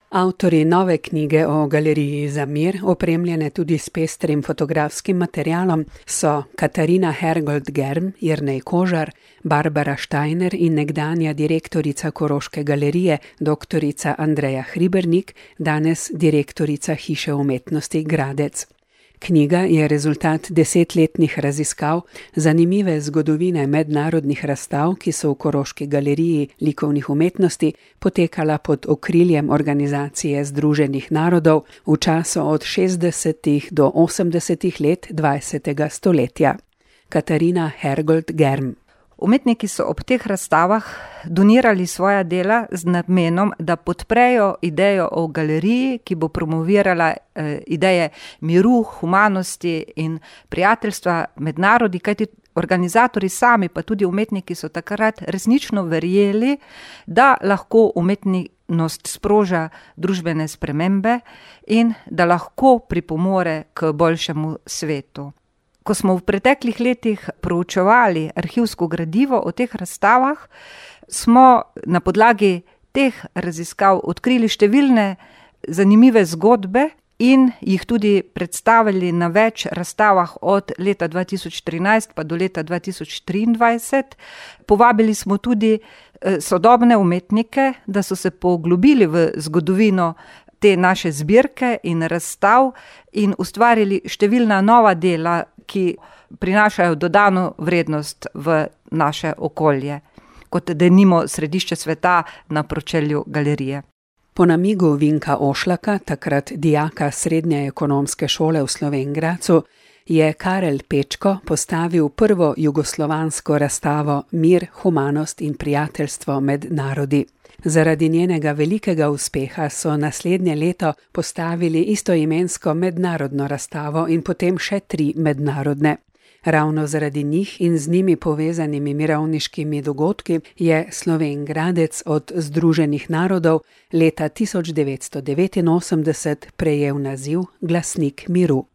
Avtorji nove knjige o Galeriji za mir, opremljene tudi s pestrim fotografskim materialom, so Katarina Hergold-Germ, Jernej Kožar, Barbara Steiner in nekdanja direktorica Koroške galerije, doktorica Andreja Hribernik, danes direktorica Hiše umetnosti Gradec. Knjiga je rezultat 10-letnih raziskav, zanimive zgodovine mednarodnih razstav, ki so v Koroški galeriji likovnih umetnosti potekala pod okriljem Organizacije združenih narodov v času od 60. do 80. let 20. stoletja. Katarina Hergold-Germ. Umetniki so ob teh razstavah donirali svoja dela z namenom, da podprejo idejo o galeriji, ki bo promovirala ideje miru, humanosti in prijateljstva med narodi, kajti organizatorji sami, pa tudi umetniki so takrat resnično verjeli, da lahko umetnost sproža družbene spremembe in da lahko pripomore k boljšemu svetu. Ko smo v preteklih letih proučevali arhivsko gradivo o teh razstavah, smo na podlagi teh raziskav odkrili številne zanimive zgodbe in jih tudi predstavili na več razstavah od leta 2013 pa do leta 2023. Povabili smo tudi sodobne umetnike, da so se poglobili v zgodovino te naše zbirke in razstav in ustvarili številna nova dela, ki prinašajo dodano vrednost v naše okolje, kot denimo središče sveta na pročelju galerije. Po namigu Vinka Ošlaka, takrat dijaka Srednje ekonomske šole v Slovenj Gradcu, je Karel Pečko postavil prvo jugoslovansko razstavo Mir, humanost in prijateljstvo med narodi. Zaradi njenega velikega uspeha so naslednje leto postavili istoimensko mednarodno razstavo in potem še 3 mednarodne. Ravno zaradi njih in z njimi povezanimi mirovniškimi dogodki je Slovenj Gradec od Združenih narodov leta 1989 prejel naziv Glasnik miru.